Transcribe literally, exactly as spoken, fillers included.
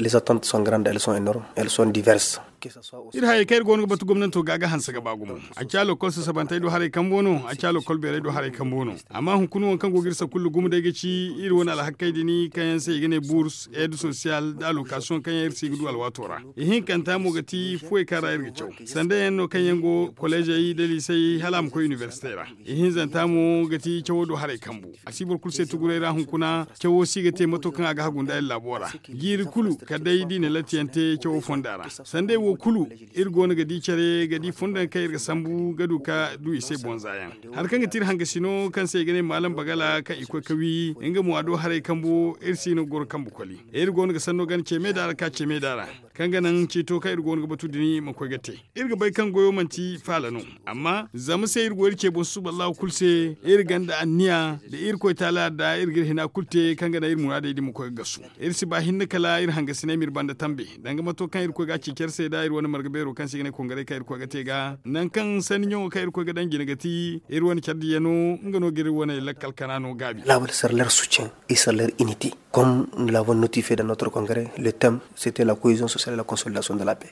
Les attentes sont grandes, elles sont énormes, elles sont diverses. Iri hayey kaŋ iri go no ga batu gomnanto ga ga hanse ga ba gumo. A ci a lokol sasabantey do haray kambo no, a ci a lokol beerey do haray kambo no. Amma hunkuna waŋ kaŋ go ga iri sakullu gumo day ga ci iri wane alhakey din kaŋ yaŋ se i ga ne burs, aide social nda allocation kaŋ yaŋ iri si ga du alwaato ra. Ihinkanta mo ga ti fuwey kaŋ ra iri ga caw sanda yaŋ no kaŋ yaŋ go kolleezey nda liisey hala a ma koy inibersite ra. Ihinzanta mo ga ti cawo do haray kambu. A si boro kulu se tuguray ra hunkuna. Cawo si ga te mato kaŋ a ga hagu nda iri laabo ra. Jiiri kulu kala day da i na latti yaŋ te cawo fonda ra. Sandey wo kulu iri go no ga di care ga di fonda yaŋ kaŋ iri ga sambu ga du ka du i se bonza yaŋ. Hari kaŋ ga ti iri hangasino kaŋ se i ga ne maalam bagala kaŋ i koy ka wi nga mo a do haray kambo iri si no ga goro kambe koli. Iri go no ga sanno gana ce meeda ra ka ce meeda ra kaŋ ga naŋ ciito kaŋ iri go no ga batu din ma koy ga te. Iri ga bay kaŋ goyo manti faala no. Amma zama se iri go iri ce boŋ susuballahu kulu se, iri gonda anniya da irkoy taala da iri ga iri hina kulu te kaŋ ga naŋ iri muraadey din ma koy ga gasu. Iri si ba hinne kala iri hangasiney ma iri banda tambe danga mato kaŋ irkoy ga a ci care se da iri wane marga beero kaŋ se i ga ne kongaray kaŋ irkoy ga te ga nangu kaŋ sanni ɲaŋo kaŋ irkoy ga daŋ jine ga ti iri wane care diya no. Nga no ga iri wane lakkal kana no gaabi. Laabo de sarler soutien et sarler unité. Comme nous l'avons notifié dans notre congrès, le thème, c'était la cohésion sociale et la consolidation de la paix.